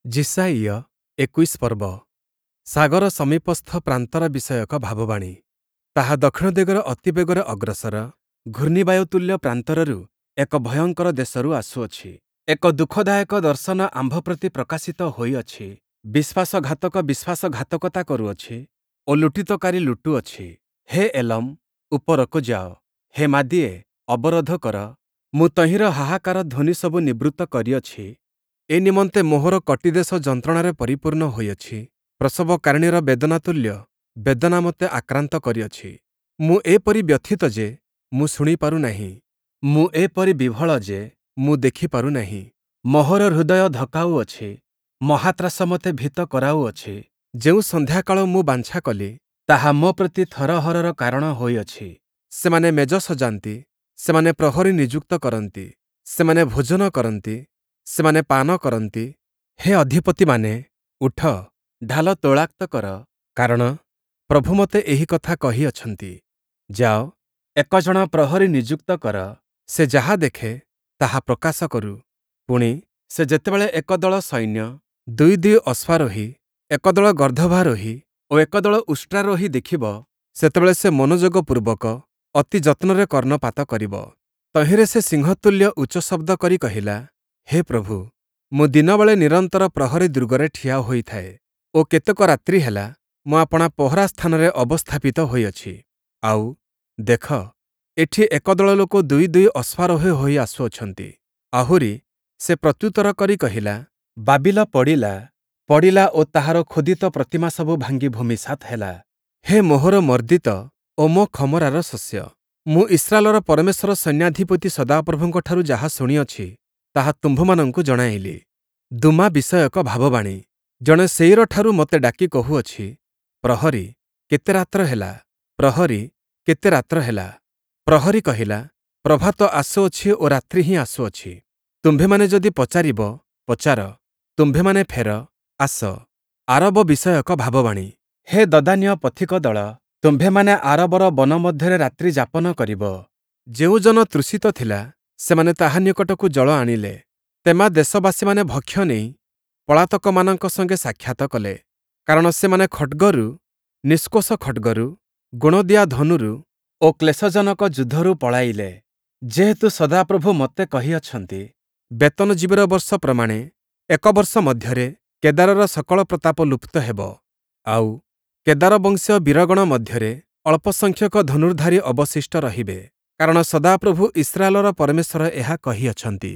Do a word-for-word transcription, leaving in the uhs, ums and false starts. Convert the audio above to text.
ଯିଶାଇୟ ଏକୋଇଶ ପର୍ବ ସାଗର ସମୀପସ୍ଥ ପ୍ରାନ୍ତର ବିଷୟକ ଭାବବାଣୀ। ତାହା ଦକ୍ଷିଣ ଦିଗରେ ଅତି ବେଗରେ ଅଗ୍ରସର ଘୂର୍ଣ୍ଣିବାୟୁ ତୁଲ୍ୟ ପ୍ରାନ୍ତରରୁ ଏକ ଭୟଙ୍କର ଦେଶରୁ ଆସୁଅଛି। ଏକ ଦୁଃଖଦାୟକ ଦର୍ଶନ ଆମ୍ଭ ପ୍ରତି ପ୍ରକାଶିତ ହୋଇଅଛି। ବିଶ୍ୱାସଘାତକ ବିଶ୍ୱାସଘାତକତା କରୁଅଛି ଓ ଲୁଣ୍ଠିତକାରୀ ଲୁଟୁଅଛି। ହେ ଏଲମ୍, ଉପରକୁ ଯାଅ, ହେ ମାଦୀୟେ, ଅବରୋଧ କର। ମୁଁ ତହିଁର ହାହାକାର ଧ୍ୱନିସବୁ ନିବୃତ୍ତ କରିଅଛି। ଏ ନିମନ୍ତେ ମୋହର କଟିଦେଶ ଯନ୍ତ୍ରଣାରେ ପରିପୂର୍ଣ୍ଣ ହୋଇଅଛି, ପ୍ରସବକାରିଣୀର ବେଦନା ତୁଲ୍ୟ ବେଦନା ମୋତେ ଆକ୍ରାନ୍ତ କରିଅଛି। ମୁଁ ଏପରି ବ୍ୟଥିତ ଯେ ମୁଁ ଶୁଣିପାରୁ ନାହିଁ, ମୁଁ ଏପରି ବିହ୍ୱଳ ଯେ ମୁଁ ଦେଖିପାରୁ ନାହିଁ। ମୋହର ହୃଦୟ ଧକାଉଅଛି, ମହାତ୍ରାସ ମୋତେ ଭୀତ କରାଉଅଛି। ଯେଉଁ ସନ୍ଧ୍ୟାକାଳ ମୁଁ ବାଞ୍ଛା କଲି, ତାହା ମୋ ପ୍ରତି ଥରହରର କାରଣ ହୋଇଅଛି। ସେମାନେ ମେଜ ସଜାନ୍ତି, ସେମାନେ ପ୍ରହରୀ ନିଯୁକ୍ତ କରନ୍ତି, ସେମାନେ ଭୋଜନ କରନ୍ତି, ସେମାନେ ପାନ କରନ୍ତି। ହେ ଅଧିପତିମାନେ, ଉଠ, ଢାଲ ତୈଳାକ୍ତ କର, କାରଣ ପ୍ରଭୁ ମୋତେ ଏହି କଥା କହିଅଛନ୍ତି। ଯାଅ, ଏକ ଜଣ ପ୍ରହରୀ ନିଯୁକ୍ତ କର, ସେ ଯାହା ଦେଖେ, ତାହା ପ୍ରକାଶ କରୁ। ପୁଣି, ସେ ଯେତେବେଳେ ଏକ ଦଳ ସୈନ୍ୟ, ଦୁଇ ଦୁଇ ଅଶ୍ୱାରୋହୀ, ଏକ ଦଳ ଗର୍ଦ୍ଦଭାରୋହୀ ଓ ଏକ ଦଳ ଉଷ୍ଟ୍ରାରୋହୀ ଦେଖିବ, ସେତେବେଳେ ସେ ମନୋଯୋଗପୂର୍ବକ ଅତି ଯତ୍ନରେ କର୍ଣ୍ଣପାତ କରିବ। ତହିଁରେ ସେ ସିଂହତୁଲ୍ୟ ଉଚ୍ଚ ଶବ୍ଦ କରି କହିଲା, ହେ ପ୍ରଭୁ, ମୁଁ ଦିନବେଳେ ନିରନ୍ତର ପ୍ରହରୀ ଦୁର୍ଗରେ ଠିଆ ହୋଇଥାଏ ଓ କେତେକ ରାତ୍ରି ହେଲା ମୁଁ ଆପଣା ପହରା ସ୍ଥାନରେ ଅବସ୍ଥାପିତ ହୋଇଅଛି। ଆଉ, ଦେଖ, ଏଠି ଏକ ଦଳ ଲୋକ ଦୁଇ ଦୁଇ ଅଶ୍ୱାରୋହୀ ହୋଇ ଆସୁଅଛନ୍ତି। ଆହୁରି ସେ ପ୍ରତ୍ୟୁତ୍ତର କରି କହିଲା, ବାବିଲ ପଡ଼ିଲା, ପଡ଼ିଲା ଓ ତାହାର ଖୋଦିତ ପ୍ରତିମାସବୁ ଭାଙ୍ଗି ଭୂମିସାତ୍ ହେଲା। ହେ ମୋହର ମର୍ଦ୍ଦିତ ଓ ମୋ ଖମରାର ଶସ୍ୟ, ମୁଁ ଇସ୍ରାଏଲର ପରମେଶ୍ୱର ସୈନ୍ୟାଧିପତି ସଦାପ୍ରଭୁଙ୍କଠାରୁ ଯାହା ଶୁଣିଅଛି, ତାହା ତୁମ୍ଭମାନଙ୍କୁ ଜଣାଇଲି। ଦୂମା ବିଷୟକ ଭାବବାଣୀ। ଜଣେ ସେୟୀରଠାରୁ ମୋତେ ଡାକି କହୁଅଛି, ପ୍ରହରୀ, କେତେ ରାତ୍ର ହେଲା? ପ୍ରହରୀ, କେତେ ରାତ୍ର ହେଲା? ପ୍ରହରୀ କହିଲା, ପ୍ରଭାତ ଆସୁଅଛି ଓ ରାତ୍ରି ହିଁ ଆସୁଅଛି। ତୁମ୍ଭେମାନେ ଯଦି ପଚାରିବ, ପଚାର, ତୁମ୍ଭେମାନେ ଫେର, ଆସ। ଆରବ ବିଷୟକ ଭାବବାଣୀ। ହେ ଦଦାନୀୟ ପଥିକ ଦଳ, ତୁମ୍ଭେମାନେ ଆରବର ବନ ମଧ୍ୟରେ ରାତ୍ରି ଯାପନ କରିବ। ଯେଉଁ ଜନ ତୃଷିତ ଥିଲା, ସେମାନେ ତାହା ନିକଟକୁ ଜଳ ଆଣିଲେ। ତେମା ଦେଶବାସୀମାନେ ଭକ୍ଷ୍ୟ ନେଇ ପଳାତକମାନଙ୍କ ସଙ୍ଗେ ସାକ୍ଷାତ କଲେ, କାରଣ ସେମାନେ ଖଡ଼୍ଗରୁ, ନିଷ୍କୋଷ ଖଡ଼୍ଗରୁ, ଗୁଣଦିଆ ଧନୁରୁ ଓ କ୍ଲେଶଜନକ ଯୁଦ୍ଧରୁ ପଳାଇଲେ। ଯେହେତୁ ସଦାପ୍ରଭୁ ମୋତେ କହିଅଛନ୍ତି, ବେତନଜୀବୀର ବର୍ଷ ପ୍ରମାଣେ ଏକ ବର୍ଷ ମଧ୍ୟରେ କେଦାରର ସକଳ ପ୍ରତାପ ଲୁପ୍ତ ହେବ। ଆଉ, କେଦାର ବଂଶୀୟ ବୀରଗଣ ମଧ୍ୟରେ ଅଳ୍ପସଂଖ୍ୟକ ଧନୁର୍ଦ୍ଧାରୀ ଅବଶିଷ୍ଟ ରହିବେ, କାରଣ ସଦାପ୍ରଭୁ ଇସ୍ରାଏଲର ପରମେଶ୍ୱର ଏହା କହିଅଛନ୍ତି।